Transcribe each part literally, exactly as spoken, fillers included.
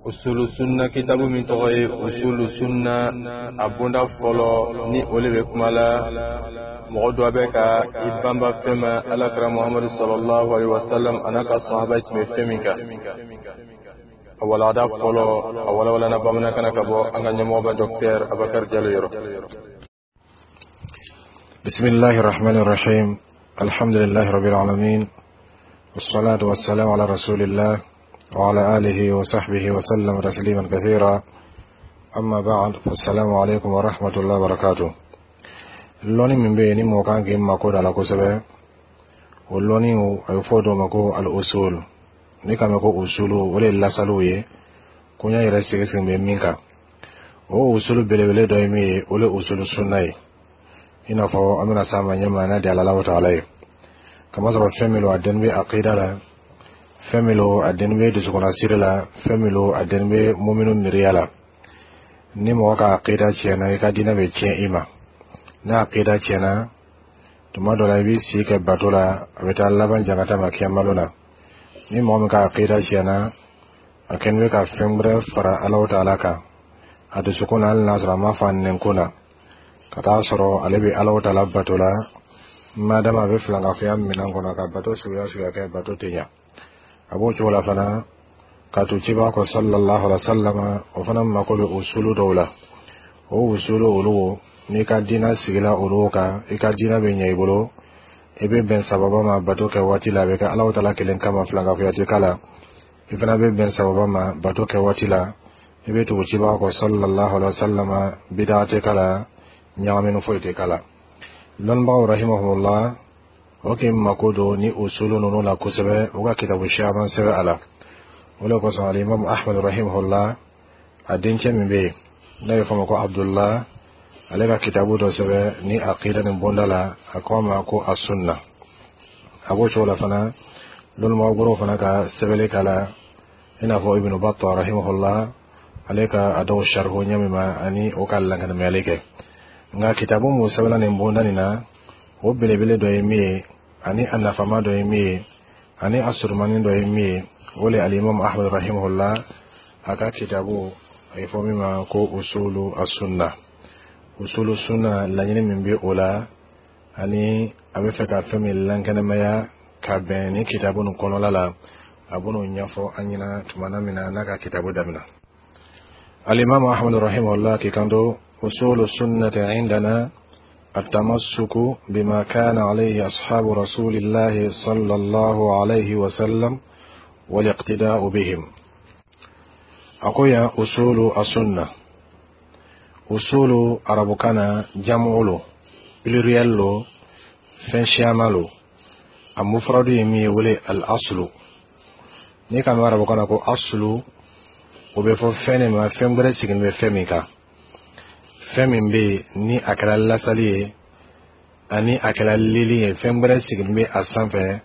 Usulu sunna kitabu min tɔgɔ ye Usulu sunna, a bonda fɔlɔ ni o le bɛ kuma la mɔgɔ dɔ bɛ ka i banba fɛn ma Alakira Muhamadu sallallahu alaihi wasallam a n'a ka sahaba tun bɛ fɛn min kan. A walada fɔlɔ, a walawalana bamanankan na ka bɔ an ka ɲɛmɔgɔba Docteur Abakar Jalo yɔrɔ. بسم الله الرحمن الرحيم، الحمد لله رب العالمين، والصلاة والسلام على رسول الله وعلى آله وصحبه وسلم تسليما كثيرا، أما بعد، فالسلام عليكم ورحمة الله وبركاته. Lɔnni min bɛ yen ni mɔgɔ kan k'i mako da la kosɛbɛ, o lɔnni, a bɛ fɔ o ma ko al-usul. Ni k'a mɛn ko usulu, o de ye lasaliw ye ko n y'a yɛrɛ sigi sigi bɛ min kan. O usulu belebele dɔ ye min ye, o de ye usulu sunna ye. I n'a fɔ an bɛna s'a ma ɲɛma n'a di Ala taala ye. Kamasɔrɔ fɛn min don, a dɛnni bɛ aqida la, fɛn min don, a dɛnni bɛ dusukunnasiri la, fɛn min don, a dɛnni bɛ muminu miiriya la. Ni mɔgɔ ka aqida tiɲɛna, i ka diinɛ bɛ tiɲɛ i ma. N'a aqida tiɲɛna, tuma dɔ la i b'i si kɛ bato la, a bɛ taa laban jangata ma kiyamalo na. Ni mɔgɔ min ka aqida tiɲɛna, a kɛlen bɛ ka fɛn wɛrɛ fara Alahu taala kan a dusukun na, hali n'a sɔrɔ a ma fɔ a nɛnkun na, ka taa sɔrɔ ale bɛ Alahu taala bato la, madama a bɛ filankafoya minɛn kɔnɔ ka bato suguya suguya kɛ, bato tɛ ɲa. A b'o cogo la fana ka to ciba kɔ sallallahu alaihi wa sallam, o fana mako bɛ usulu dɔw la. O usulu olu, n'i ka diinɛ sigila olu kan, i ka diinɛ bɛ ɲɛ i bolo, i bɛ bɛn sababa ma bato kɛ waati la, a bɛ kɛ Alahu taala kelen kama, filankafoya tɛ k'a la. I fana bɛ bɛn sababa ma bato kɛ waati la, i bɛ tugu ciba kɔ sallallahu alaihi wa sallam, bidaa tɛ k'a la, ɲagamini foyi tɛ k'a la. Lɔnnibagaw rahimahumullah, o k'i mako don ni usulu ninnu la kosɛbɛ, u ka kitabu caman sɛbɛn a la. O de kosɔn Alimamu Ahmad rahimahullah, a dencɛ min bɛ yen n'a bɛ fɔ a ma ko Abdullah, ale ka kitabu dɔ sɛbɛn ni aqida nin bonda la, a ko a ma ko Asunna. A b'o cogo la fana, lɔnnibagaw wɛrɛw fana ka sɛbɛnni k'a la, i n'a fɔ Ibnu Battah rahimahullah, ale ka a dɔw sarihu ɲɛ min ma ani o ka lankanamayali kɛ. Nka kitabu mun sɛbɛnna nin bonda nin na, o belebele dɔ ye min ye, ani a nafama dɔ ye min ye, ani a surumani dɔ ye min ye, o le Alimamu Ahmad rahimahullah a ka kitabu a ye fɔ min ma ko Usulu Asunna. Usulu sunna, laɲini min bɛ o la ani a bɛ fɛ ka fɛn min lankɛnɛmaya ka bɛn ni kitabu nin kɔnɔla la, a bɛn'o ɲɛfɔ an ɲɛna tuma min na n'a ka kitabu daminɛ. Alimamu Ahmad rahimahullah k'i kanto: usulu sunnati indana التمسك بما كان عليه أصحاب رسول الله صلى الله عليه وسلم والاقتداء بهم. أقول أصول السنة، أصول arabukan na jamu lo, pluriel lo, fɛn siyaman lo. A mufradu ye min ye, wele al-aslu. N'i ka mɛn arabukan na ko aslu, o bɛ fɔ fɛn de ma, fɛn wɛrɛ sigilen bɛ fɛn min kan, fɛn min bɛ yen ni a kɛra lasali ye ani a kɛra lili ye, fɛn wɛrɛ sigilen bɛ a sanfɛ,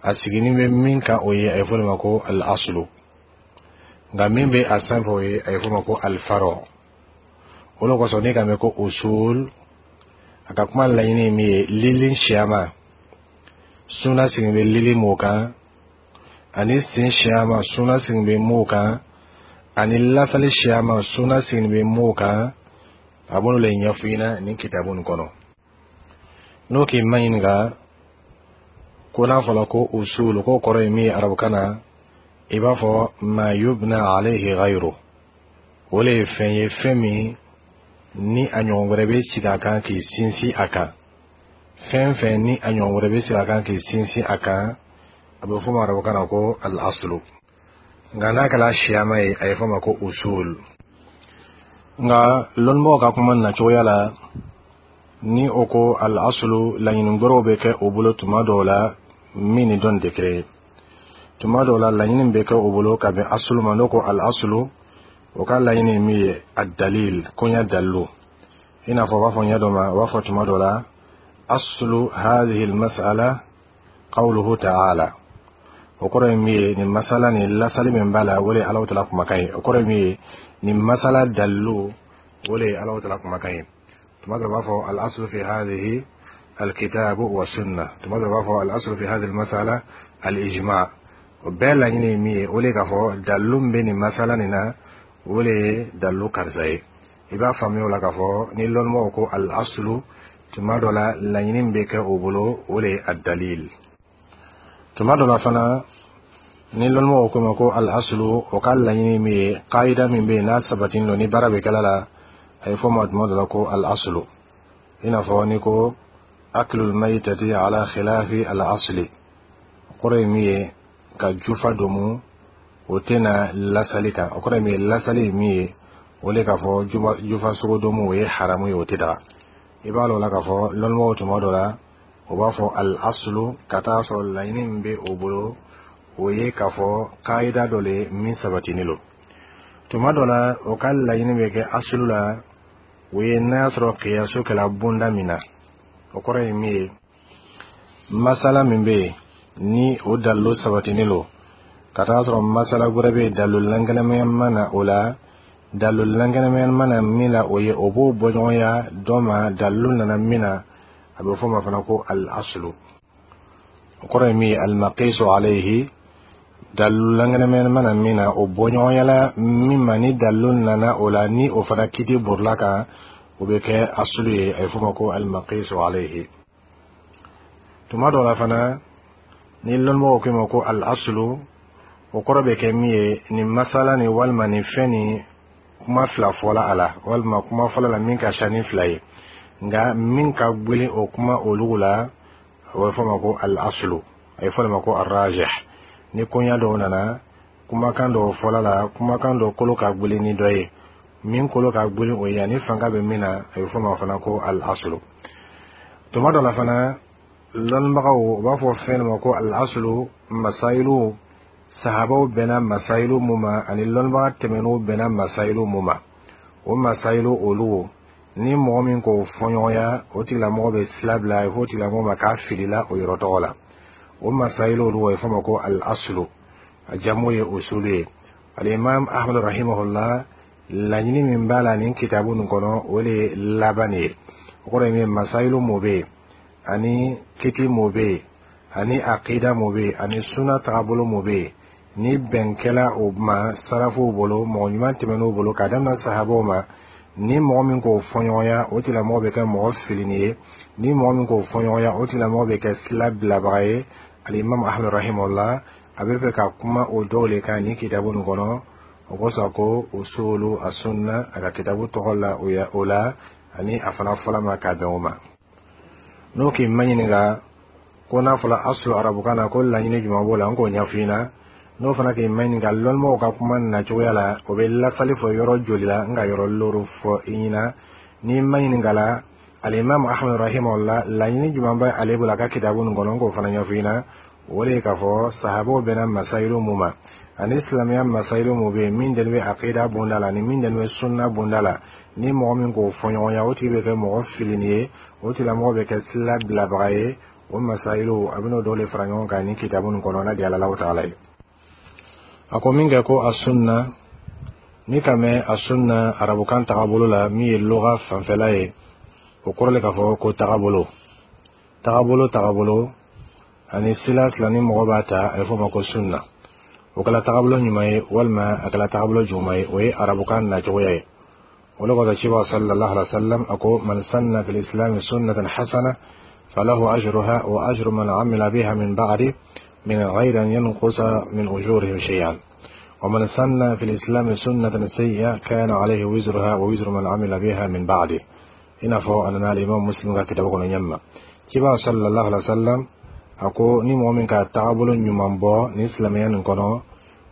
a sigilen bɛ min kan, o ye a ye fɔ o ma ko al-aslu. Nka min bɛ a sanfɛ, o ye a ye fɔ o ma ko al-faro. O de kosɔn n'i ka mɛn ko usul, a ka kuma laɲini ye min ye, lili siyama, suna sigilen bɛ lili m'o kan, ani sen siyama, suna sigilen bɛ m'o kan, ani lasali siyama, suna sigilen bɛ m'o kan, a b'olu le ɲɛfɔ i ɲɛna nin kitabu nin kɔnɔ. N'o k'i ma ɲininka ko n'a fɔra ko usul, k'o kɔrɔ ye min ye arabukan na, i b'a fɔ ma yubna alayhi ghayru, o le ye fɛn ye, fɛn min ni a ɲɔgɔn wɛrɛ bɛ sigi a kan k'i sinsin a kan. Fɛn fɛn ni a ɲɔgɔn wɛrɛ bɛ sigi a kan k'i sinsin a kan, a bɛ fɔ o ma arabukan na ko al-aslu. Nka n'a kɛra siyama ye, a ye fɔ o ma ko usul. Nka lɔnnibagaw ka kuma nacogoya la, ni o ko al-aslu, laɲini wɛrɛw bɛ kɛ o bolo tuma dɔw la min ni dɔn tɛ kelen ye. Tuma dɔw la, laɲini bɛ kɛ o bolo ka bɛn asulu ma. N'o ko al-aslu, o ka laɲini ye min ye, a dalil, koɲɛ dalilu. I n'a fɔ u b'a fɔ ɲɛ dɔ ma, u b'a fɔ tuma dɔ la aslu hadhihi al-mas'ala qawluhu ta'ala. O kɔrɔ ye min ye, nin masala nin, lasali min b'a la, o de ye Alahu taala kumakan ye. O kɔrɔ ye min ye, nin masala dalilu, o de ye Alahu taala kumakan ye. Tuma dɔ la, u b'a fɔ al-aslu fi hadhihi al-kitabu wa sunna. Tuma dɔ la, u b'a fɔ al-aslu fi hadhihi al-mas'ala al-ijma. O bɛɛ laɲini ye min ye, o le k'a fɔ dalilu min bɛ nin masala nin na, o le ye dalilu karisa ye. I b'a faamuya o la k'a fɔ ni lɔnnimɔgɔw ko al aslu, tuma dɔ la laɲini min bɛ kɛ o bolo, o le ye a dalil. Tuma dɔ la fana, ni lɔnnimɔgɔw ko ma ko al aslu, o ka laɲini min ye kaida min bɛ yen n'a sabatilen don, ni baara bɛ kɛla la, a ye fɔ ma tuma dɔ la ko al aslu. I n'a fɔ ni ko aklul maytati ala khilafi al asli, o kɔrɔ ye min ye ka jufa domu, o tɛna lasali kan. O kɔrɔ ye min ye, lasali ye min ye, o le k'a fɔ jufa sogo domu, o ye haramu ye, o tɛ daga. I b'a lɔn o la k'a fɔ lɔnnimɔgɔw tuma dɔ la, o b'a fɔ al aslu, ka taa sɔrɔ laɲini min bɛ o bolo, o ye k'a fɔ kaida dɔ le min sabatinen don. Tuma dɔ la, o ka laɲini bɛ kɛ asulu la, o ye n'a y'a sɔrɔ kiyaso kɛla bonda min na. O kɔrɔ ye min ye, masala min bɛ yen ni o dalilu sabatinen don, ka taa sɔrɔ masala wɛrɛ bɛ yen, dalilu lankɛnɛmaya ma na o la, dalilu lankɛnɛmaya ma na min la, o ye o b'o bɔɲɔgɔnya dɔ ma, dalilu nana min na, a bɛ fɔ o ma fana ko al aslu. O kɔrɔ ye min ye, al maqisu alayhi, dalilu lankɛnɛmaya ma na min na, o bɔɲɔgɔnyala min ma, ni dalilu nana o la, ni o fana kiti borila kan, o bɛ kɛ asulu ye. A bɛ fɔ o ma ko al maqisu alayhi. Tuma dɔ la fana, ni lɔnnimɔgɔw ko ma ko al aslu, o kɔrɔ bɛ kɛ min ye, nin masala nin walima nin fɛn nin, kuma fila fɔla a la, walima kuma fɔlɔ la min ka ca ni fila ye, nka min ka gwelen o kuma olugu la, o bɛ fɔ ma ko al aslu, a bɛ fɔ ma ko arrajih. Ni koɲa dɔw nana, kumakan dɔw fɔla la, kumakan dɔ kolo ka gwelen ni dɔ ye, min kolo ka gwelen o ye ani fanga bɛ min na, a bɛ fɔ ma fana ko al aslu. Tuma dɔ la fana, lɔnnibagaw u b'a fɔ fɛn dɔ ma ko al aslu, masayilu sahabaw bɛnna masayilu mun ma, ani lɔnnibaga tɛmɛn'u bɛnna masayilu mun ma, o masayilu olu, ni mɔgɔ min k'o fɔɲɔgɔnya, o tigilamɔgɔ bɛ sila bila, a bɛ fɔ o tigilamɔgɔ ma k'a filila o yɔrɔ tɔgɔ la. O masayilu olu, a bɛ fɔ ma ko al aslu, a jamu ye usulu ye. Alimam Ahmad rahimahullah, laɲini min b'a la nin kitabu nin kɔnɔ, o de ye laban ye. O kɔrɔ ye min ye, masayilu mun bɛ yen, ani kiti mun bɛ yen, ani akida mun bɛ yen, ani suna tagabolo mun bɛ yen, ni bɛn kɛla o ma sarafuw bolo, mɔgɔ ɲuman tɛmɛn'u bolo k'a daminɛ sahabaw ma, ni mɔgɔ min k'o fɔɲɔgɔnya, o tigilamɔgɔ bɛ kɛ mɔgɔ filini ye. Ni mɔgɔ min k'o fɔɲɔgɔnya, o tigilamɔgɔ bɛ kɛ sila bilabaga ye. Alimami Ahmad rahimahullah, a bɛ fɛ ka kuma o dɔw le kan nin kitabu nin kɔnɔ. O kosɔn ko usulu asunna, a ka kitabu tɔgɔ la o la, ani a fana fɔla ma k'a bɛn o ma. N'o k'i maɲininka ko n'a fɔla asulu arabukan na, ko laɲini jumɛn b'o la, n k'o ɲɛfɔ i ɲɛna. N'o fana k'i maɲininka lɔnnimɔgɔw ka kuma nacogoya la, o bɛ lasali fɔ yɔrɔ joli la, n ka yɔrɔ looru fɔ i ɲɛna. N'i maɲininka la alimami Ahmad rahimahullah, laɲini jumɛn bɛ ale bolo a ka kitabu nin kɔnɔ, n k'o fana ɲɛfɔ i ɲɛna. O de ye k'a fɔ sahabaw bɛnna masayilu mun ma, ani silamɛya masayilu mun bɛ yen, min dalen bɛ akida bonda la, ani min dalen bɛ sunna bonda la, ni mɔgɔ min k'o fɔɲɔgɔnya, o tigi bɛ kɛ mɔgɔ filini ye, o tigilamɔgɔ bɛ kɛ sila bilabaga ye. O masayilu, a bɛn'o dɔw de fara ɲɔgɔn kan nin kitabu nin kɔnɔ, n'a di Ala taala ye. A ko min kɛ ko a sunna, ni ka mɛn a sunna arabukan tagabolo la, min ye loga fanfɛla ye, o kɔrɔ le k'a fɔ ko tagabolo, tagabolo, tagabolo ani sila sila ni mɔgɔ b'a ta, a bɛ fɔ o ma ko sunna. O kɛla tagabolo ɲuman ye walima a kɛla tagabolo juguman ye, o ye arabukan nacogoya ye. O de kosɔn ciba sallallahu alaihi wa sallam a ko: man sanna fil islam sunnatan hasana falahu ajruha wa ajru man amila biha min ba'di min ghayri an yanqusa min ujurihim shay'an, wa man sanna fil islam sunnatan sayyi'a kana alayhi wizruha wa wizru man amila biha min ba'di. I n'a fɔ a nana alimam Muslim ka kitabu kɔnɔ ɲɛma, ciba sallallahu alaihi wa sallam a ko ni mɔgɔ min ka tagabolo ɲuman bɔ ni silamɛya nin kɔnɔ,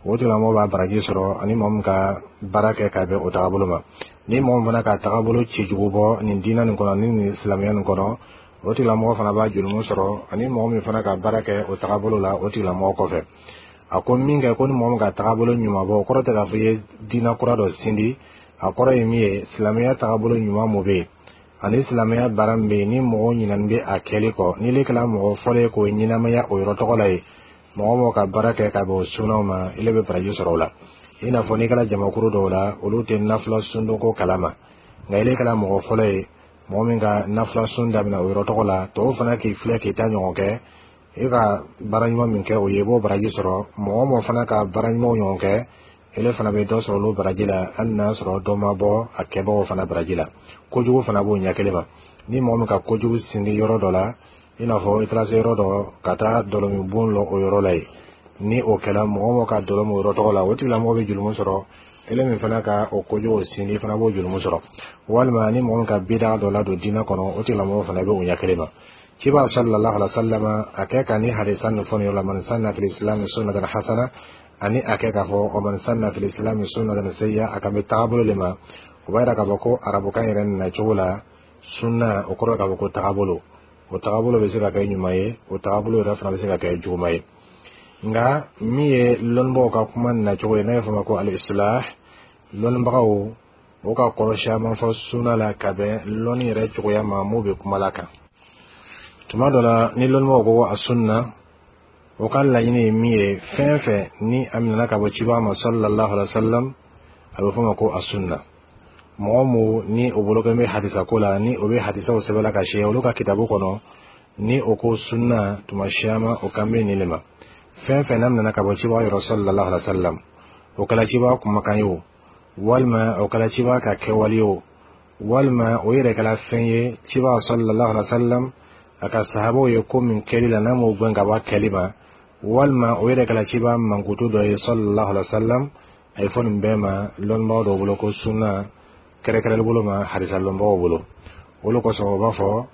o tigilamɔgɔ b'a baraji sɔrɔ, ani mɔgɔ min ka baara kɛ ka bɛn o tagabolo ma. Ni mɔgɔ min fana ka tagabolo cɛjugu bɔ nin diinɛ nin kɔnɔ ni nin silamɛya nin kɔnɔ, o tigilamɔgɔ fana b'a jurumu sɔrɔ, ani mɔgɔ min fana ka baara kɛ o tagabolo la o tigilamɔgɔ kɔfɛ. A ko min kɛ ko ni mɔgɔ min ka tagabolo ɲuman bɔ, o kɔrɔ tɛ k'a fɔ i ye diinɛ kura dɔ sindi. A kɔrɔ ye min ye, silamɛya tagabolo ɲuman mun bɛ yen, ani silamɛya baara min bɛ yen ni mɔgɔw ɲinɛni bɛ a kɛli kɔ, n'i kɛra mɔgɔ fɔlɔ ye k'o ɲɛnamaya o yɔrɔ tɔgɔ la ye, mɔgɔ mɔgɔ ka baara kɛ ka bɛn o sunaw ma, ile bɛ baraji sɔrɔ o la. I n'a fɔ n'i kɛra jamakuru dɔw la, olu tɛ nafila sundonko kalama, nka ile kɛra mɔgɔ fɔlɔ ye mɔgɔ min ka nafila sun daminɛ o yɔrɔ tɔgɔ la, tɔw fana k'i filɛ k'i ta ɲɔgɔn kɛ. E ka baara ɲuman min kɛ, o ye, i b'o baraji sɔrɔ. Mɔgɔ o mɔgɔ fana ka baara ɲumanw ɲɔgɔn kɛ, ele fana bɛ dɔ sɔrɔ olu baraji la, hali n'a sɔrɔ dɔ ma bɔ a kɛbagaw fana baraji la. Kojugu fana b'o ɲɛ kelen ma. Ni mɔgɔ min ka kojugu sindi yɔrɔ dɔ la, i n'a fɔ i taara se yɔrɔ dɔ ka taa dɔlɔmin bon lɔ o yɔrɔ la yen, ni o kɛra, mɔgɔ mɔgɔ ka dɔlɔ min o yɔrɔ tɔgɔ la, o tigilamɔgɔ bɛ julumu sɔrɔ. Ele min fana ka o kojugu sindi fana b'o julumu sɔrɔ. Walima ni mɔgɔ min ka bida dɔ ladon diinɛ kɔnɔ, o tigilamɔgɔ fana bɛ o ɲɛ kelen ma. Ciba sallallahu alaihi wa sallam, a kɛ ka ni hadisa nin fɔ nin yɔrɔ la, man sanna fil islam sunnatan hasana, ani a kɛ k'a fɔ wa man sanna fil islam sunnatan sayya, a kan bɛ tagabolo le ma. O b'a yira k'a fɔ ko arabukan yɛrɛ nana cogo la, sunna o kɔrɔ k'a fɔ ko tagabolo. O tagabolo bɛ se ka kɛ ɲuman ye, o tagabolo yɛrɛ fana bɛ se ka kɛ juguman ye. Nka min ye lɔnnibagaw ka kuma nacogo ye, n'a ye fɔ ma ko al-islah, lɔnnibagaw o ka kɔrɔ caman fɔ sunna la ka bɛn lɔnni yɛrɛ cogoya ma mun bɛ kuma la kan. Tuma dɔ la, ni lɔnnibagaw ko a sunna, o ka laɲini ye min ye, fɛn fɛn ni a minɛna ka bɔ ciba ma sallallahu alaihi wa sallam, a bɛ fɔ ma ko a sunna. Mɔgɔ mu ni o bolo bɛ hadisa ko la, ni o bɛ hadisaw sɛbɛnla ka se olu ka kitabu kɔnɔ, ni o ko sunna, tuma caman o kan bɛ nin de ma: fɛn fɛn n'a minɛna ka bɔ ciba yɔrɔ sallallahu alaihi wa sallam, o kɛla ciba kumakan ye o, walima o kɛla ciba ka kɛwale ye o, walima o yɛrɛ kɛla fɛn ye ciba sallallahu alaihi wa sallam a ka sahabaw ye ko min kɛli la, n'a m'o gɛn ka bɔ a kɛli ma, walima o yɛrɛ kɛla ciba mankutu dɔ ye sallallahu alaihi wa sallam, a ye fɔ nin bɛɛ ma lɔnnibagaw dɔw bolo ko sunna, kɛrɛkɛrɛli bolo ma hadisa lɔnbagaw bolo. Olu kosɔn o b'a fɔ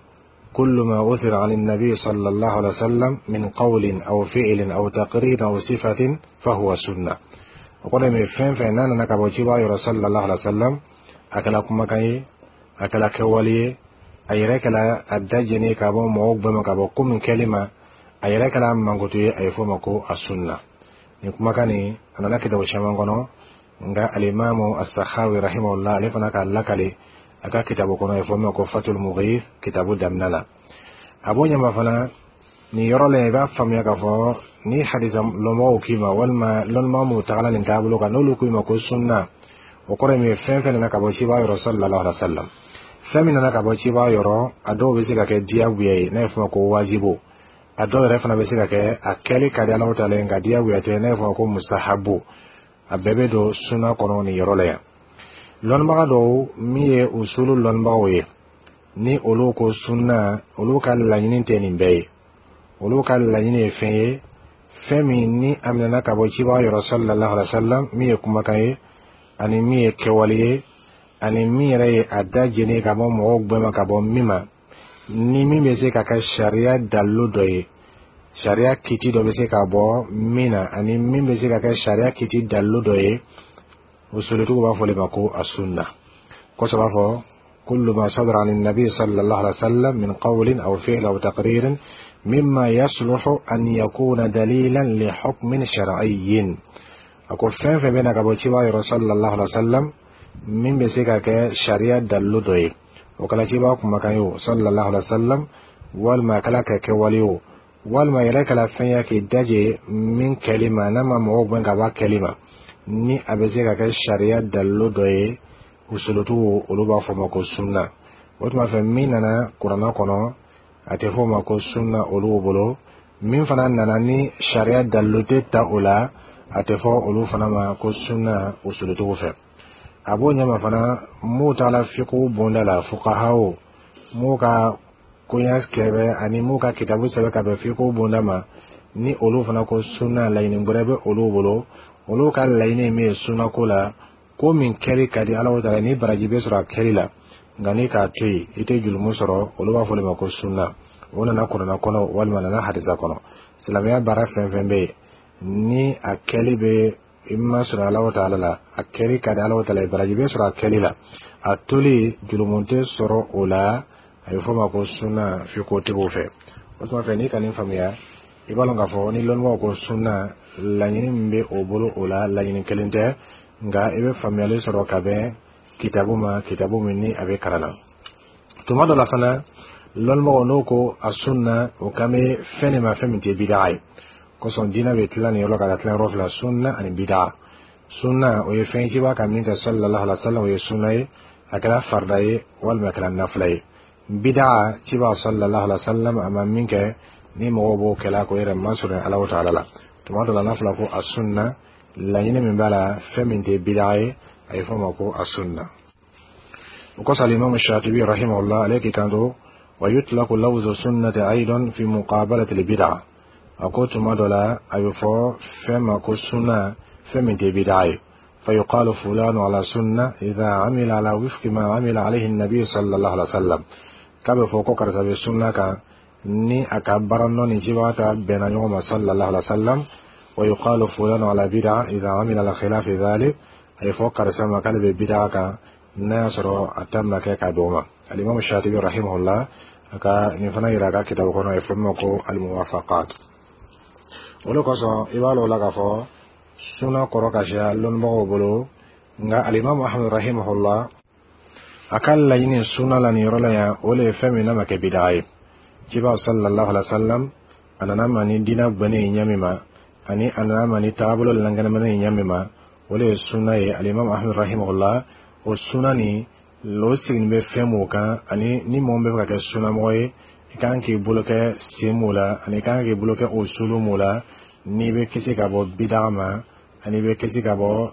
كل ما أثر عن النبي صلى الله عليه وسلم من قول أو فعل أو تقرير أو صفة فهو سنة. O kɔrɔ ye fɛn fɛn n'a nana ka bɔ ciba yɔrɔ sallallahu alaihi wa sallam, a kɛla kumakan ye, a kɛla kɛwale ye, a yɛrɛ kɛla a da jɛni ka bɔ mɔgɔw bɛɛ ma ka bɔ ko min kɛli ma, a yɛrɛ kɛla mankutu ye, a ye fɔ ma ko a sunna. Nin kumakan nin, a nana kitabu caman kɔnɔ. Nka alimamu as-Sakhawi rahimahullah, ale fana k'a lakale a ka kitabu kɔnɔ, a ye fɔ min ma ko Fatul Mughith, kitabu daminɛ la. A b'o ɲɛma fana nin yɔrɔ la, i b'a faamuya k'a fɔ ni hadisa lɔnbagaw k'i ma, walima lɔnnibaga minnu tagala nin taabolo kan, n'olu k'i ma ko sunna, o kɔrɔ ye min ye, fɛn fɛn nana ka bɔ ciba yɔrɔ sallallahu alaihi wa sallam. Fɛn min nana ka bɔ ciba yɔrɔ, a dɔw bɛ se ka kɛ diyagoya ye, n'a ye fɔ ma ko wajibu. A dɔw yɛrɛ fana bɛ se ka kɛ a kɛli ka di Alahu taala ye, nka diyagoya tɛ, n'a ye fɔ ma ko mustahabu. A bɛɛ bɛ don sunna kɔnɔ nin yɔrɔ la yan. Lɔnnibaga dɔw min ye usulu lɔnnibagaw ye, ni olu ko sunna, olu ka laɲini tɛ nin bɛɛ ye. Olu ka laɲini ye fɛn ye, fɛn min ni a minɛna ka bɔ cibaga yɔrɔ sallallahu alaihi wa sallam, min ye kumakan ye, ani min ye kɛwale ye, ani min yɛrɛ ye a da jeni ka bɔ mɔgɔw gbɛma ma ka bɔ min ma, ni min bɛ se ka kɛ sariya dalilu dɔ ye, sariya kiti dɔ bɛ se ka bɔ min na, ani min bɛ se ka kɛ sariya kiti dalilu dɔ ye, usulutigiw b'a fɔ de ma ko a sunna. Kosɔn b'a fɔ كل ما صدر عن النبي صلى الله عليه وسلم من قول أو فعل أو تقرير مما يصلح أن يكون دليلا لحكم شرعي. أقول فين فين بينك أبو تشيبا صلى الله عليه وسلم min bɛ se ka kɛ sariya dalilu dɔ ye, o kɛla ciba kumakan ye o sallallahu alaihi wa sallam, walima a kɛla ka kɛwale o, walima yɛrɛ kɛla fɛn ye k'i daje min kɛli ma, n'a ma mɔgɔw gɛn ka bɔ a kɛli ma, ni a bɛ se ka kɛ sariya dalilu dɔ ye, usulutigiw olu b'a fɔ ma ko sunna. O tuma fɛ, min nana kuranna kɔnɔ, a tɛ fɔ o ma ko sunna olu bolo. Min fana nana ni sariya dalilu tɛ ta o la, a tɛ fɔ olu fana ma ko sunna usulutigiw fɛ. A b'o ɲɛma fana, m'u taala fiqhu bonda la, fuqahaw m'u ka koɲa kɛbɛ ani m'u ka kitabu sɛbɛn ka bɛn fiqhu bonda ma, ni olu fana ko sunna, laɲini wɛrɛ bɛ olu bolo. Olu ka laɲini ye min ye sunna ko la, ko min kɛli ka di Ala taala, ni baraji bɛ sɔrɔ a kɛli la, nka ni k'a to yen, i tɛ julumu sɔrɔ, olu b'a fɔ o ma ko sunna. O nana kuranna kɔnɔ walima nana hadisa kɔnɔ. Silamɛya baara fɛn fɛn bɛ yen, ni a kɛli bɛ i ma sɔrɔ Ala taala la, a kɛli ka di Ala taala ye, baraji bɛ sɔrɔ a kɛli la, a toli julumu tɛ sɔrɔ o la, a bɛ fɔ o ma ko sunna fiqhutigiw fɛ. O tuma fɛ, n'i ka nin faamuya, i b'a dɔn k'a fɔ ni lɔnnibagaw ko sunna, laɲini min bɛ o bolo o la, laɲini kelen tɛ, nka i bɛ faamuyali sɔrɔ ka bɛn kitabu ma, kitabu min ni a bɛ kalan na. Tuma dɔ la fana, lɔnnibagaw n'o ko a sunna, o kan bɛ fɛn de ma, fɛn min tɛ bidaa ye. Kosɔn diinɛ bɛ tila nin yɔrɔ ka tila yɔrɔ fila: sunna ani bidaa. Sunna, o ye fɛn ciba ka min kɛ sallallahu alaihi wa sallam, o ye sunna ye, a kɛra farida ye walima a kɛra nafila ye. Bidaa, ciba sallallahu alaihi wa sallam a ma min kɛ. Ni mɔgɔw b'o kɛla k'o yɛrɛ masurunya Alahu taala la, tuma dɔ la n'a fɔra ko a sunna, laɲini min b'a la, fɛn min tɛ bidaa ye, a ye fɔ o ma ko a sunna. O kosɔn الإمام الشاطبي رحمه الله ale k'i kanto: ويطلق لفظ السنة أيضا في مقابلة البدعة. A ko tuma dɔ la a bɛ fɔ fɛn ma ko sunna, fɛn min tɛ bidaa ye. فيقال فلان على سنة إذا عمل على وفق ما عمل عليه النبي صلى الله عليه وسلم. K'a bɛ fɔ ko karisa bɛ sunna kan ni a ka baara nɔ ni cibaga ta bɛnna ɲɔgɔn ma صلى الله عليه وسلم. ويقال فلان على بدعة إذا عمل على خلاف ذلك. A ye fɔ karisa ma k'ale bɛ bidaa kan n'a y'a sɔrɔ a ta ma kɛ ka bɛn o ma. الإمام الشاطبي رحمه الله a ka nin fana yira a ka kitabu kɔnɔ, a ye fɔ min ma ko الموافقات. O de kosɔn i b'a lɔn o la k'a fɔ sunna kɔrɔ ka siya lɔnnibagaw bolo, nka الإمام أحمد رحمه الله a ka laɲini sunna la nin yɔrɔ la yan, o le ye fɛn min n'a ma kɛ bidaa ye. Ciba صلى الله عليه وسلم a nana ma ni diinɛ gbɛnnen ye ɲɛ min ma, ani a nana ma ni taabolo lankɛnɛmɛnɛ ye ɲɛ min ma, o le ye sunna ye. الإمام أحمد رحمه الله o sunna nin o siginin bɛ fɛn mun kan, ani ni mɔgɔ min bɛ fɛ ka kɛ sunnamɔgɔ ye, i kan k'i bolo kɛ sen mun la, ani i kan k'i bolo kɛ o sulu mun la, n'i bɛ kisi ka bɔ bidaa ma, ani i bɛ kisi ka bɔ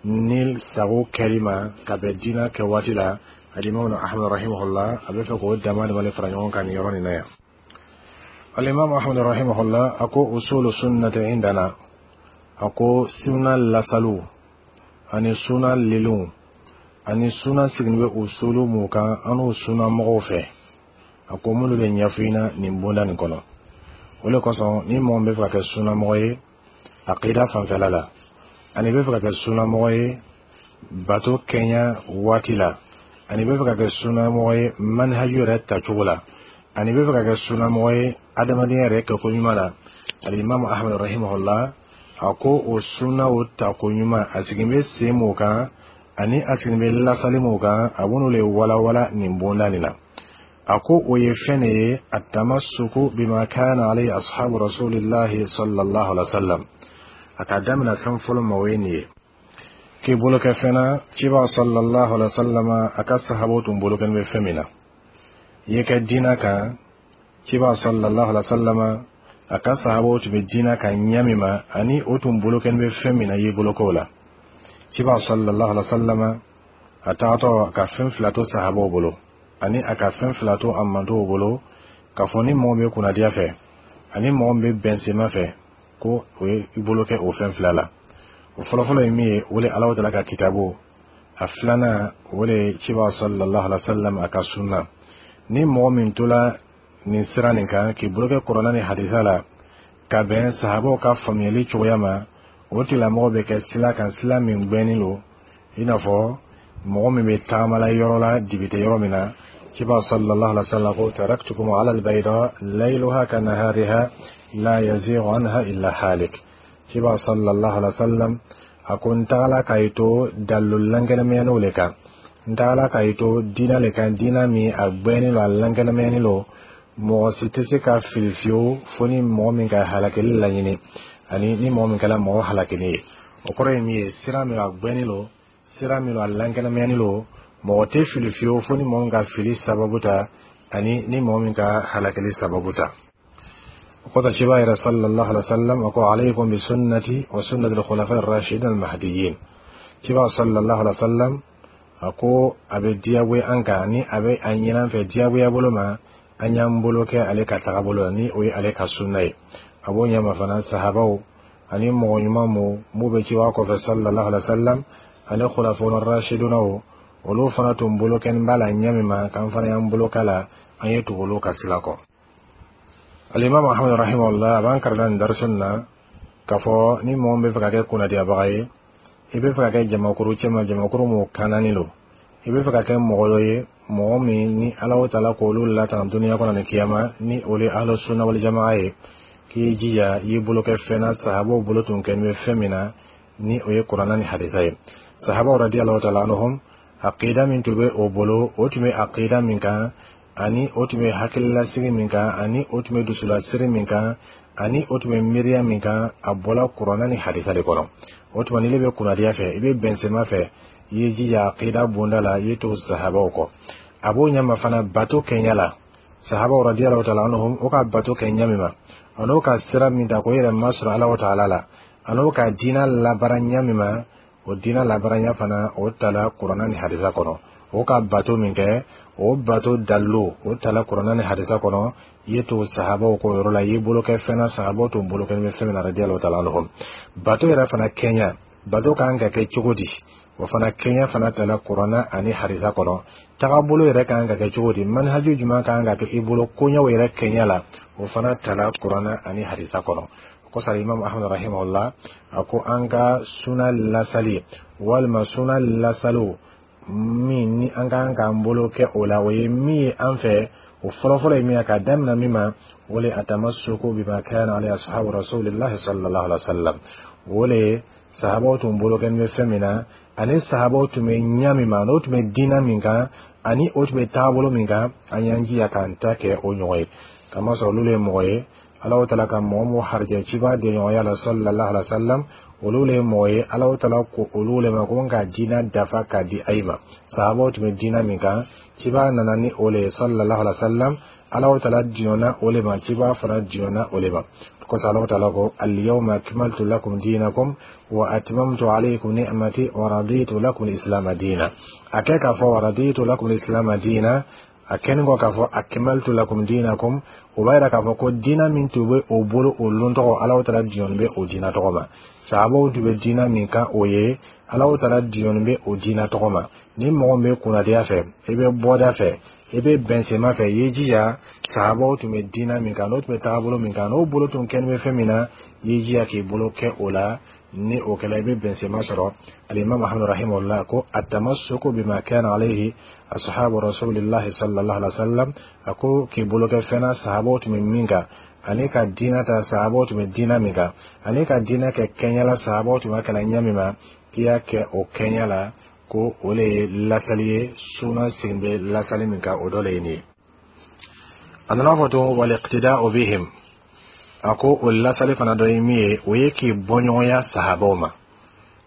ni sago kɛli ma ka bɛn diinɛ kɛ waati la. الإمام أحمد رحمه الله a bɛ fɛ k'o dama dama fara ɲɔgɔn kan nin yɔrɔ nin na yan. الإمام أحمد رحمه الله a ko: أصول السنة عندنا. A ko sunna lasalu ani sunna liliw ani sunna siginin bɛ usulu mun kan an n'o sunna mɔgɔw fɛ, a ko minnu bɛ ɲɛfɔ i ɲɛna nin bonda nin kɔnɔ. O de kosɔn ni mɔgɔ min bɛ fɛ ka kɛ sunnamɔgɔ ye aqida fanfɛla la, ani bɛ fɛ ka kɛ sunnamɔgɔ ye bato kɛɲa waati la, ani bɛ fɛ ka kɛ sunnamɔgɔ ye manhaju yɛrɛ tacogo la, ani bɛ fɛ ka kɛ sunnamɔgɔ ye adamadenya yɛrɛ kɛko ɲuman la, الإمام أحمد رحمه الله a ko o sunna o tako ɲuman, a sigin bɛ sen mun kan ani a sigin bɛ lasali mun kan, a b'olu le walawala nin bonda nin na. A ko o ye fɛn de ye: التمسك بما كان عليه أصحاب رسول الله صلى الله عليه وسلم. A ka daminɛ fɛn fɔlɔ ma, o ye nin ye: k'i bolo kɛ fɛn na ciba صلى الله عليه وسلم a ka sahabaw tun bolo kɛlen bɛ fɛn min na. I ye kɛ diinɛ kan, ciba صلى الله عليه وسلم a ka sahabaw tun bɛ diinɛ kan ɲɛ min ma, ani o tun bolo kɛlen bɛ fɛn min na, i y'i bolo k'o la. Ciba صلى الله عليه وسلم a tagatɔ a ka fɛn fila to sahabaw bolo, ani a ka fɛn fila to a mantow bolo, k'a fɔ ni mɔgɔ bɛ kunnadiya fɛ ani mɔgɔ min bɛ bɛnsenma fɛ, ko o ye i bolo kɛ o fɛn fila la. O fɔlɔfɔlɔ ye min ye, o le Alahu taala ka kitabu. A filanan, o le ciba صلى الله عليه وسلم a ka sunna. Ni mɔgɔ min tola nin sira nin kan k'i bolo kɛ kuranna ni hadisa la ka bɛn sahabaw ka faamuyali cogoya ma, o tigilamɔgɔ bɛ kɛ sira kan, sira min gbɛnnen don i n'a fɔ mɔgɔ min bɛ tagamala yɔrɔ la dibi tɛ yɔrɔ min na. Ciba صلى الله عليه وسلم ko: تركتكم على البيضاء ليلها كنهارها لا يزيغ عنها إلا هالك. Ciba صلى الله عليه وسلم a ko n tagala k'a to dalilu lankɛnɛmɛyaniw le kan, n tagala k'a to diinɛ le kan, diinɛ min a gbɛnnen don, a lankɛnɛmɛyani don, mɔgɔ si tɛ se ka fili fiyewu fo ni mɔgɔ min ka halakili laɲini ani ni mɔgɔ min kɛra mɔgɔ halakili ye. O kɔrɔ ye min ye, sira min a gbɛnnen don, sira min a lankɛnɛmɛyani don, mɔgɔ tɛ fili fiyewu fo ni mɔgɔ min ka fili sababu ta ani ni mɔgɔ min ka halakili sababu ta. O kɔfɛ ciba yɛrɛ صلى الله عليه وسلم a ko: عليكم بسنتي وسنة الخلفاء الراشدين المهديين. Ciba صلى الله عليه وسلم a ko a bɛ diyagoya an kan ni a bɛ a ɲini an fɛ diyagoya bolo ma, an y'an bolo kɛ ale ka tagabolo la, ni o ye ale ka sunna ye. A b'o ɲɛma fana sahabaw ani mɔgɔ ɲuman mu m'u bɛ ciba kɔfɛ صلى الله عليه وسلم ani خلفاء الراشدون, olu fana tun bolo kɛ b'a la ɲɛ min ma, k'an fana y'an bolo k'a la, an ye tugu olu ka sira kɔ. الإمام أحمد رحمه الله a b'an kalan nin dariso nin na k'a fɔ ni mɔgɔ min bɛ fɛ ka kɛ kunnadiyabaga ye, i bɛ fɛ ka kɛ jamakuru cɛma, jamakuru mun kanani don, i bɛ fɛ ka kɛ mɔgɔ dɔ ye, mɔgɔ min ni Ala taala k'olu latanga duniya kɔnɔ ni kiyama, ni olu ye أهل السنة والجماعة ye, k'i jija i y'i bolo kɛ fɛn na sahabaw bolo tun kɛ bɛ fɛn min na, ni o ye kuranna ni hadisa ye. Sahabaw رضي الله تعالى عنهم aqida min tun bɛ o bolo, o tun bɛ aqida min kan, ani o tun bɛ hakililasigi min kan, ani o tun bɛ dusulasiri min kan, ani o tun bɛ miiriya min kan, a bɔla kuranna ni hadisa de kɔnɔ. O tuma n'i bɛ kunnadiya fɛ, i bɛ bɛnsɛma fɛ, i ye jija aqida bonda la, i ye to sahabaw kɔ. A b'o ɲɛma fana bato kɛɲɛ la. Sahabaw radiyallahu ta'ala anhum, o ka bato kɛ ɲa min ma, an'o ka sira min ta k'o yɛrɛ masɔrɔ Ala ta'ala la, an'o ka diina labaara ɲa min ma, o diina labaara fana, o tala Kuranna ni hadisa kɔnɔ. O ka bato min kɛ, o bato dalilu, o tala Kuranna ni hadisa kɔnɔ. I ye to sahabaw k'o yɔrɔ la, i y'i bolo kɛ fɛn na sahabaw tun bolo kɛ bɛ fɛn min na radiyallahu ta'ala anhum. Bato yɛrɛ fana kɛɲa, bato kan ka kɛ cogo di, o fana kɛɲɛ fana tala Kuranna ani hadisa kɔnɔ. Tagabolo yɛrɛ kan ka kɛ cogo di, manhaju jumɛn kan ka kɛ i bolo koɲɛw yɛrɛ kɛɲɛ la, o fana tala Kuranna ani hadisa kɔnɔ. O kosɔn, Imam Ahmad rahimahullah a ko an ka suna lasali walima suna lasaliw min ni an kan k'an bolo kɛ o la, o ye min ye an fɛ, o fɔlɔfɔlɔ ye min ye, ka daminɛ min ma, o le atamassuku bima kana alayhi ashabu rasulillahi sallallahu alaihi wa sallam. O le sahabaw tun bolo kɛ bɛ fɛn min na, ani sahabaw tun bɛ ɲa min ma, n'o tun bɛ diinɛ min kan, ani o tun bɛ taabolo min kan, an y'an jija k'an ta kɛ o ɲɔgɔn ye. Kamasɔrɔ olu le ye mɔgɔ ye Alahu taala ka mɔgɔ mun harijɛ ciba denɲɔgɔnya la sallallahu alaihi wa sallam. Olu le ye mɔgɔ ye Alahu taala ko olu le ma ko n ka diinɛ dafa k'a di ayi ma. Sahabaw tun bɛ diinɛ min kan, ciba nana ni o le ye sallallahu alaihi wa sallam. Alahu taala diɲɔna o le ma, ciba fana diɲɔna o le ma. Kosɔn Alahu taala ko: al-yawma akmaltu lakum dinakum wa atmamtu alaykum ni'mati wa raditu lakum al-islam dina. A kɛ k'a fɔ wa raditu lakum al-islam dina, a kɛni kɔ k'a fɔ akmaltu lakum dinakum, o b'a yira k'a fɔ ko diina min tun bɛ o bolo o lon tɔgɔ, Alahu taala diɲɔni bɛ o diina tɔgɔ ma. Sahabaw tun bɛ diina min kan, o ye Alahu taala diɲɔni bɛ o diina tɔgɔ ma. Ni mɔgɔ min bɛ kunnadiya fɛ, i bɛ bɔda fɛ, i bɛ bɛnsenma fɛ, i y'i jija sahabaw tun bɛ diina min kan, n'o tun bɛ taabolo min kan, n'o bolo tun kɛlen bɛ fɛn min na, i y'i jija k'i bolo kɛ o la. Ni o kɛla, i bɛ bɛnsenma sɔrɔ. Alimami Muhammad rahimahullah ko atamassuku bima kana alayhi ashabu rasulillahi sallallahu alaihi wa sallam. A ko k'i bolo kɛ fɛn na sahabaw tun bɛ min kan, ani ka diinɛ ta sahabaw tun bɛ diinɛ min kan, ani ka diinɛ kɛ kɛɲɛ la sahabaw tun b'a kɛla ɲɛ min ma, k'i y'a kɛ o kɛɲɛ la, ko o le ye lasali ye. Suna sen bɛ lasali min kan, o dɔ le ye nin ye. A nana fɔ tun wal iqtida'u bihim. A ko o lasali fana dɔ ye min ye, o ye k'i bɔɲɔgɔnya sahabaw ma,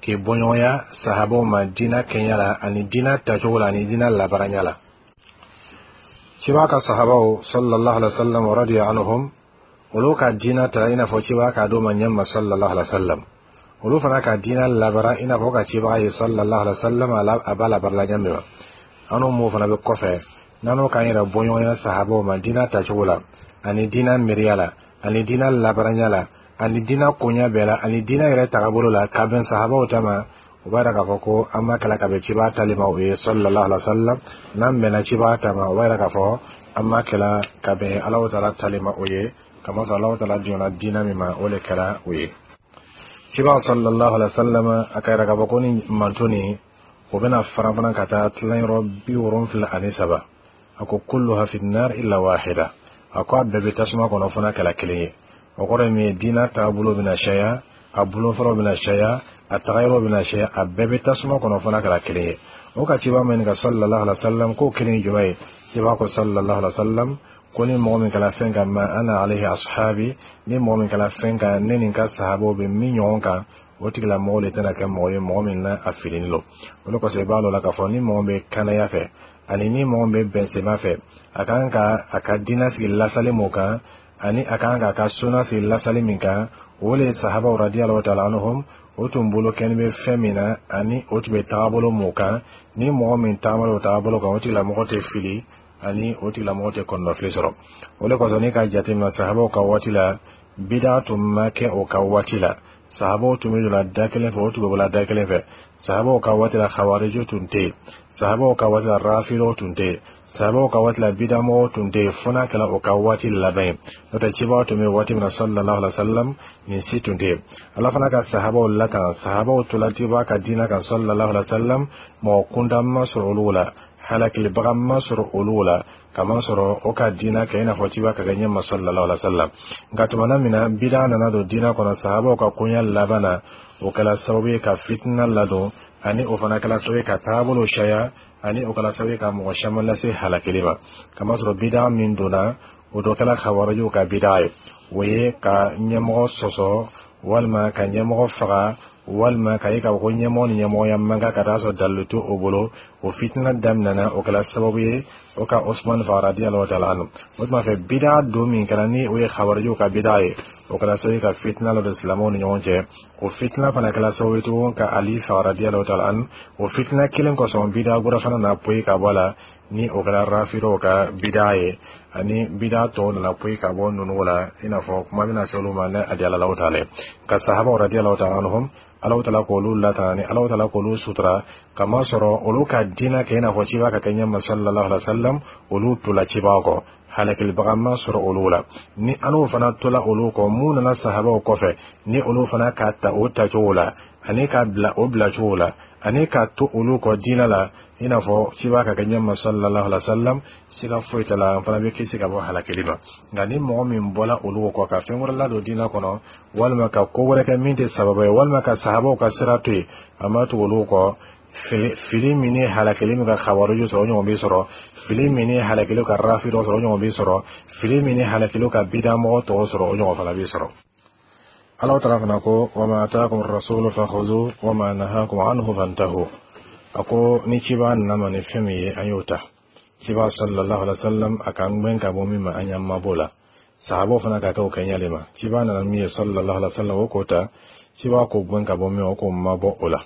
k'i bɔɲɔgɔnya sahabaw ma diinɛ kɛɲɛ la, ani diinɛ tacogo la, ani diinɛ labaaranya la. Ciba ka sahabaw sallallahu alaihi wa sallam wa radiya anhum, olu ka diinɛ ta i n'a fɔ ciba k'a d'o ma ɲɛ ma sallallahu alaihi wa sallam. Olu fana ka diinɛ labara i n'a fɔ ka cibaga ye sallallahu alaihi wa sallam, a b'a labarala ɲɛ min ma. An n'o m'o fana bɛ kɔfɛ n'an k'an yɛrɛ bɔɲɔgɔnya sahabaw ma diinɛ tacogo la, ani diinɛ miiriya la, ani diinɛ labaranya la, ani diinɛ koɲɛ bɛɛ la, ani diinɛ yɛrɛ tagabolo la, ka bɛn sahabaw ta ma, o b'a yira k'a fɔ ko an ma kɛla ka bɛn cibaga tali ma, o ye sallallahu alaihi wa sallam. N'an bɛnna cibaga ta ma, o b'a yira k'a fɔ an ma kɛla ka bɛn Alahu taala tali ma, o ye kamasɔrɔ Alahu taala diɲɛna diinɛ min ma, o de kɛra o ye. Cibaga sallallahu alaihi wa sallam a ka yira k'a fɔ ko ni manto nin, o bɛna faran fana ka taa tilayɔrɔ bi wolonfila ani saba. A ko kulluha fi nar illa wahida. A ko a bɛɛ bɛ tasuma kɔnɔ fo n'a kɛla kelen ye. O kɔrɔ ye min ye, diinɛ taabolo bɛna caya, a bolofaraw bɛna caya, a tagayɔrɔ bɛna caya, a bɛɛ bɛ tasuma kɔnɔ fo n'a kɛra kelen ye. O ka ciba min ka sallallahu alaihi wa sallam, k'o kelen ye jumɛn ye? Ciba ko sallallahu alaihi wa sallam ko ni mɔgɔ min kɛla fɛn kan ma ana alayhi ashabi, ni mɔgɔ min kɛla fɛn kan ne ni n ka sahabaw bɛ min ɲɔgɔn kan, o tigilamɔgɔ de tɛna kɛ mɔgɔ ye mɔgɔ min na a filini lo. O de kosɔn, i b'a dɔn la k'a fɔ ni mɔgɔ bɛ kanaya fɛ, ani ni mɔgɔ bɛ bɛnsenma fɛ, a kan ka a ka diinɛ sigi lasali mun kan, ani a kan k'a ka suna sigi lasali min kan, o le sahabaw radiyallahu ta'ala anhum, o tun bolo kɛni bɛ fɛn min na, ani o tun bɛ tagabolo mun kan. Ni mɔgɔ min taamana o tagabolo kan, o tigilamɔgɔ tɛ fili, ani o tigilamɔgɔ tɛ kɔnɔnafili sɔrɔ. O de kosɔn, n'i ka jateminɛ sahabaw ka waati la, bida tun ma kɛ o ka waati la. Sahabaw tun bɛ don la da kelen fɛ, o tun bɛ bɔ la da kelen fɛ. Sahabaw ka waati la, khawariju tun tɛ yen. Sahabaw ka waati la, rafilaw tun tɛ yen. Sahabaw ka waati la, bidamɔgɔw tun tɛ yen, fo n'a kɛra o ka waati laban ye. N'o tɛ, cibaw tun bɛ waati min na sallallahu alaihi wa sallam, nin si tun tɛ yen. Ala fana ka sahabaw latanga. Sahabaw tola ciba ka diinɛ kan sallallahu alaihi wa sallam, mɔgɔ kuntan ma sɔrɔ olu la, halakilibaga ma sɔrɔ olu la, kamasɔrɔ o ka diinɛ kɛ i n'a fɔ ciba ka kɛ ɲɛma sallallahu alaihi wa sallam. Nka tumana min na bida nana don diinɛ kɔnɔ sahabaw ka koɲɛ laban na, o kɛla sababu ye ka fitina ladon, ani o fana kɛla sababu ye ka taabolo caya, ani o kɛla sababu ye ka mɔgɔ caman lase halakili ma. Kamasɔrɔ bida min donna, o dɔ kɛla khawarijiw ka bida ye, o ye ka ɲɛmɔgɔ sɔsɔ walima ka ɲɛmɔgɔ faga. Walima k'a ye k'a fɔ ko ɲɛmɔgɔ ni ɲɛmɔgɔya man kan ka taa sɔrɔ dalilu to o bolo. O fitina daminɛna, o kɛra sababu ye o ka Osman faga radiyallahu ta'ala anhu. O tuma fɛ, bida don min kɛra ni o ye Khawarijiw ka bida ye, o kɛra sababu ye ka fitina lɔ don silamɛw ni ɲɔgɔn cɛ. O fitina fana kɛra sababu ye tugun ka Ali faga radiyallahu ta'ala anhu. O fitina kelen kosɔn, bida wɛrɛ fana na poyi ka bɔ a la, ni o kɛra Rafidaw ka bida ye, ani bida tɔw nana poyi ka bɔ ninnu la, i n'a fɔ kuma bɛna se olu ma ne a diyala Alahu ta'ala ye. Ka sahabaw radiyallahu ta'ala anhum, Alahu ta'ala k'olu latanga ni Alahu ta'ala k'olu sutura, kamasɔrɔ olu ka diinɛ kɛ i n'a fɔ ciba ka kɛ ɲɛma sallallahu alaihi wa sallam. Olu tola cibaw kɔ, halakilibaga ma sɔrɔ olu la. Ni an n'o fana tola olu kɔ, mun nana sahabaw kɔfɛ, ni olu fana k'a ta o tacogo la, ani k'a bila o bilacogo la, ani k'a to olu kɔ diinɛ la i n'a fɔ ciba ka kɛ ɲɛma sallallahu alaihi wa sallam, siga foyi t'a la, an fana bɛ kisi ka bɔ halakili ma. Nka ni mɔgɔ min bɔla olu kɔ ka fɛn wɛrɛ ladon diinɛ kɔnɔ, walima ka ko wɛrɛ kɛ min tɛ sababu ye, walima ka sahabaw ka sira to yen, a ma tugu olu kɔ, fili min ni halakili min ka Khawariju sɔrɔ, o ɲɔgɔn bɛ sɔrɔ. Fili min ni halakili ka Rafidɔ sɔrɔ, o ɲɔgɔn bɛ sɔrɔ. Fili min ni halakili ka bidamɔgɔ tɔw sɔrɔ, o ɲɔgɔn fana bɛ sɔrɔ. Ala taala fana ko: wama atakum rasulu fakhuzu wama nahakum anhu fantahu. A ko ni ciba nana ma ni fɛn min ye, an y'o ta. Ciba sallallahu alaihi wasallam, a k'an gbɛn ka bɔ min ma, an y'an mabɔ la. Sahabaw fana ka kɛ o kɛɲɛli ma. Ciba nana min ye sallallahu alaihi wasallam, o k'o ta. Ciba k'o gbɛn ka bɔ min ma, o k'o mabɔ o la.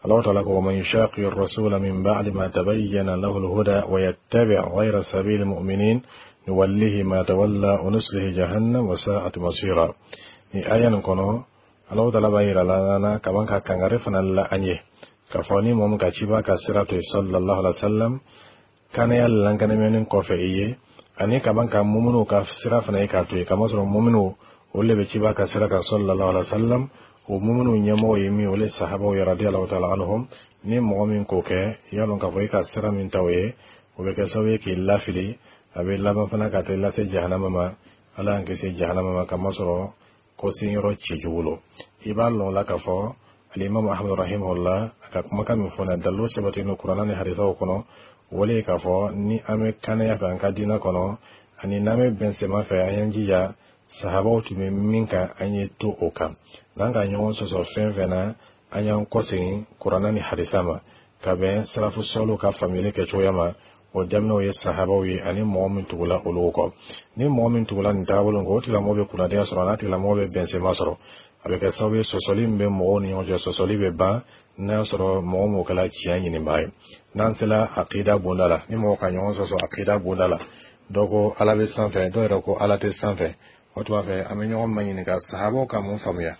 الله تعالى: ومن يشاقق الرسول من بعد ما تبين له الهدى ويتبع غير سبيل المؤمنين نوله ما تولى ونصله جهنم وساءت مصيرا. Ni aya nin kɔnɔ, Alahu taala b'a yira la na kaban ka kangari fana la an ye k'a fɔ ni mɔgɔ min ka ciba ka sira to yen sallallahu alaihi wa sallam, kanaya lankanɛmɛni kɔfɛ i ye, ani kaban ka muminuw ka sira fana ye k'a to yen, kamasɔrɔ muminuw olu de bɛ ciba ka sira kan sallallahu alaihi wa sallam. O muminu ɲɛmɔgɔ ye min, o le sahabaw ye radiyallahu ta'ala anhum. Ni mɔgɔ min k'o kɛ, i y'a dɔn k'a fɔ i ka sira min ta o ye, o bɛ kɛ sababu ye k'i lafili, a bɛ laban fana ka taa lase jahanama ma. Ala y'an kisi jahanama ma, kamasɔrɔ ko senyɔrɔ cɛjugu lo. I b'a lɔn la k'a fɔ Alimami Ahmadu rahimahullah, a ka kumakan min fɔ na, dalilu sabatilen don Kuranna ni hadisaw kɔnɔ. O le ye k'a fɔ ni an bɛ kanaya fɛ an ka diinɛ kɔnɔ, ani n'an bɛ bɛnsɛma fɛ, an y'an jija sahabaw tun bɛ min kan, an ye to o kan. N'an ka ɲɔgɔn sɔsɔ fɛn fɛn na, an y'an kɔsegin Kuranna ni hadisa ma, ka bɛn salafu sɔliw ka faamuyali kɛcogoya ma. O daminɛw ye sahabaw ye, ani mɔgɔ min tugula olu kɔ. Ni mɔgɔ min tugula nin taabolo kɔ, o tigilamɔgɔ bɛ kunnadiya sɔrɔ, n'a tigilamɔgɔ bɛ bɛnsɛma sɔrɔ. A bɛ kɛ sababu ye, sɔsɔli min bɛ mɔgɔw ni ɲɔgɔn cɛ, sɔsɔli bɛ ban, n'a y'a sɔrɔ mɔgɔ m'o kɛla tiɲɛ ɲinibaa ye. N'an sera akida bonda la, ni mɔgɔ ka ɲɔgɔn sɔsɔ akida bonda la, dɔw ko Ala bɛ sanfɛ, dɔw yɛrɛ ko Ala tɛ sanfɛ, o tuma fɛ an bɛ ɲɔgɔn maɲininka sahabaw ka mun faamuya.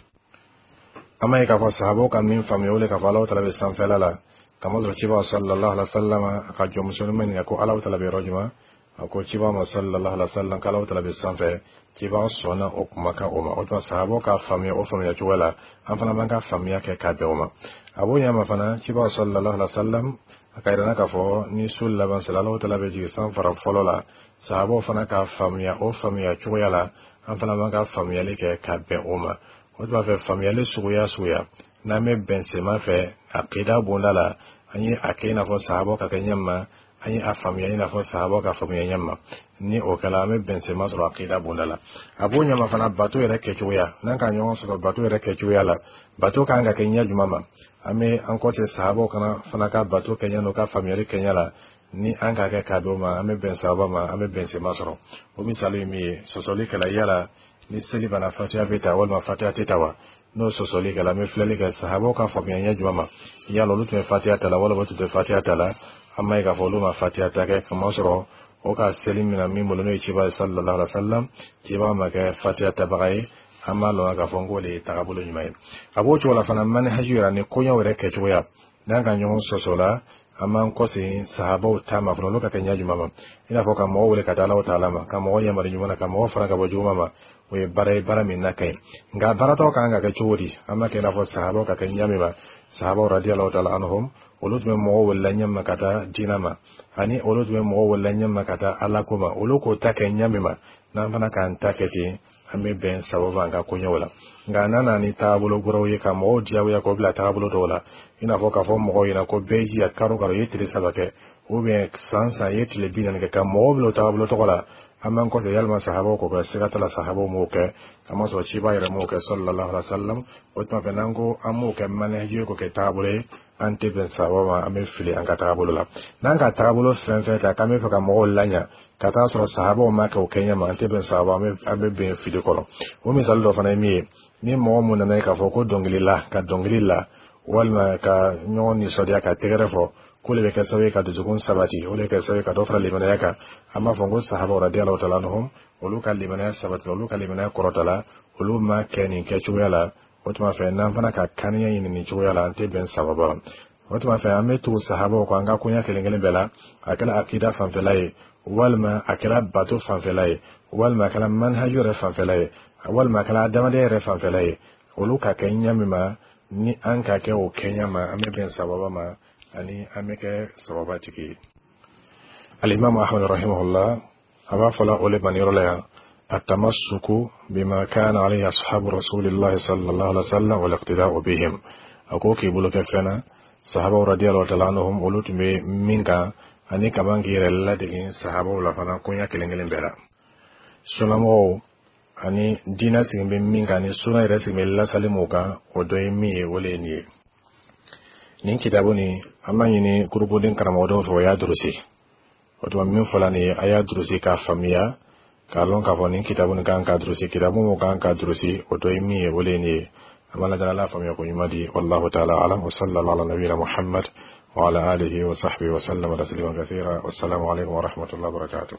An b'a ye k'a fɔ sahabaw ka min faamuya, o le k'a fɔ Alahu taala bɛ sanfɛla la, kamasɔrɔ ciba sallallahu alaihi wa sallam, a ka jɔnmusonin ma ɲininka ko Alahu taala bɛ yɔrɔ jumɛn. A ko ciba ma sallallahu alaihi wa sallam k'Alahu taala bɛ sanfɛ. Ciba sɔnna o kumakan o ma. O tuma sahabaw ka faamuya o faamuya cogo la, an fana b'an ka faamuya kɛ k'a bɛn o ma. A b'o ɲɛ ma fana, ciba sallallahu alaihi wa sallam, a ka yira k'a fɔ ni su laban sera, Alahu taala bɛ jigin san fara fɔlɔ la. Sahabaw fana ka faamuya o faamuya cogoya la, an fana b'an ka faamuyali kɛ ka bɛn o ma. O tuma fɛ, faamuyali suguya suguya, n'an bɛ bɛn sema fɛ akida bonda la, an ye a kɛ i n'a fɔ sahabaw ka kɛ ɲɛ ma, an ye a faamuya i n'a fɔ sahabaw ka faamuya ɲɛ ma. Ni o kɛla, an bɛ bɛn sema sɔrɔ akida bonda la. A b'o ɲɛma fana, bato yɛrɛ kɛcogoya, n'an ka ɲɔgɔn sɔrɔ bato yɛrɛ kɛcogoya la, bato kan ka kɛ ɲɛ jumɛn ma, an bɛ an kɔse sahabaw kana fana ka bato kɛ ɲɛ n'o ka faamuyali kɛ ɲɛ la. Ni an k'a kɛ k'a d'o ma, an bɛ bɛn sababa ma, an bɛ bɛn sema sɔrɔ. O misali ye min ye, sɔsɔli kɛla yala ni seli banna, fatiya bɛ ta walima fatiya tɛ ta wa? N'o sɔsɔli kɛla, an bɛ filɛli kɛ sahabaw ka faamuya ɲɛ jumɛn ma. Yala olu tun bɛ fatiya ta la walima olu tun tɛ fatiya ta la? An b'a ye k'a fɔ olu ma fatiya ta kɛ, kamasɔrɔ o ka seli min na min bolo, n'o ye ciba ye sallallahu alaihi wa sallam, ciba ma kɛ fatiya tabaga ye. An b'a lɔn k'a fɔ k'o de ye tagabolo ɲuman ye. A b'o cogo la fana, manhaji yɛrɛ ni koɲɛw yɛrɛ kɛcogoya, n'an ka ɲɔgɔn sɔsɔ la, an b'an kɔsegin sahabaw ta ma fana, olu ka kɛ ɲɛ jumɛn ma, i n'a fɔ ka mɔgɔw wele ka taa Alahu taala ma, ka mɔgɔ yamaru ɲuman na, ka mɔgɔ fara ka bɔ juguman ma. O ye baara ye, baara min na ka ɲi. Nka baaratɔ kan ka kɛ cogo di? An b'a kɛ i n'a fɔ sahabaw ka kɛ ɲɛ min ma. Sahabaw radiyallahu ta'ala anhum, olu tun bɛ mɔgɔw wele ɲɛ ma ka taa diinɛ ma, ani olu tun bɛ mɔgɔw wele ɲɛ ma ka taa Ala ko ma. Olu k'o ta kɛ ɲɛ min ma, n'an fana k'an ta kɛ ten, an bɛ bɛn sababu an ka koɲɛw la. Nka n'a nana ni taabolo wɛrɛw ye ka mɔgɔw diyagoya k'o bila taabolo dɔw la, i n'a fɔ k'a fɔ mɔgɔw ɲɛna ko bɛɛ jija karo karo i ye tile saba kɛ, ou bien san san i ye tile bi naani kɛ, ka mɔgɔw bila o taabolo tɔgɔ la. An b'an kɔsegin yalima sahabaw k'o kɛ? Siga t'a la, sahabaw m'o kɛ, kamasɔrɔ ciba yɛrɛ m'o kɛ, sallallahu alaihi wa sallam. O tuma fɛ, n'an ko an m'o kɛ manhaji ye, k'o kɛ taabolo ye, an tɛ bɛn sahaba ma, an bɛ fili an ka taabolo la. N'an ka taabolo fɛn fɛn ta k'an bɛ fɛ ka mɔgɔw laɲa ka taa sɔrɔ sahabaw ma kɛ o kɛɲɛ ma, an tɛ bɛn sahaba, an bɛ bɛn fili kɔnɔ. O misali dɔ fana ye min ye, ni mɔgɔ mun nana ye k'a fɔ ko dɔnkili la, ka dɔnkili la walima ka ɲɔgɔn nisɔndiya ka tɛgɛrɛ fɔ, k'o de bɛ kɛ sababu ye ka dusukun sabati, o de bɛ kɛ sababu ye ka dɔ fara limanaya kan, an b'a fɔ ko sahabaw radiyallahu ta'ala anhum, olu ka limanaya sabati, olu ka limanaya kɔrɔta, olu ma kɛ nin kɛcogoya la. O tuma fɛ, n'an fana ka kaniya ɲini nin cogoya la, an tɛ bɛn sababa. O tuma fɛ, an bɛ tugu sahabaw kɔ an ka koɲɛ kelen kelen bɛɛ la, a kɛra akida fanfɛla ye, walima a kɛra bato fanfɛla ye, walima a kɛra manhaju yɛrɛ fanfɛla ye, walima a kɛra adamadenya yɛrɛ fanfɛla ye. Olu ka kɛ ɲɛ min ma, ni an ka kɛ o kɛɲɛ ma, an bɛ bɛn sababa ma ani an bɛ kɛ sababa tigi ye. Alimamu Ahmad rahimahullah, a b'a fɔla o le ma nin yɔrɔ la yan: التمسك بما كان عليه أصحاب رسول الله صلى الله عليه وسلم والاقتداء بهم. A ko k'i bolo kɛ fɛn na sahabaw radiyallahu ta'ala anhum, olu tun bɛ min kan, ani kaban k'i yɛrɛ ladege sahabaw la fana koɲɛ kelen kelen bɛɛ la. Sunnamɔgɔw ani diinɛ sigi bɛ min kan, ni sunna yɛrɛ sigi bɛ lasali mun kan, o dɔ ye min ye, o le ye nin ye. Nin kitabu nin, an b'a ɲini kurukuden karamɔgɔdenw fɛ, o y'a durusi. O tuma, min fɔla nin ye, a y'a durusi k'a faamuya, k'a lɔn k'a fɔ nin kitabu nin kan ka durusi. Kitabu mun kan ka durusi, o dɔ ye min ye, o le ye nin ye. An b'a lajɛ, Ala faamuya ko ɲuman di. Wallahu ta'ala alam, wa sallallahu ala nabiyina Muhammad wa ala alihi wa sahbihi wa sallama taslima kathira. Wassalamu alaikum wa rahmatullahi wa barakatuh.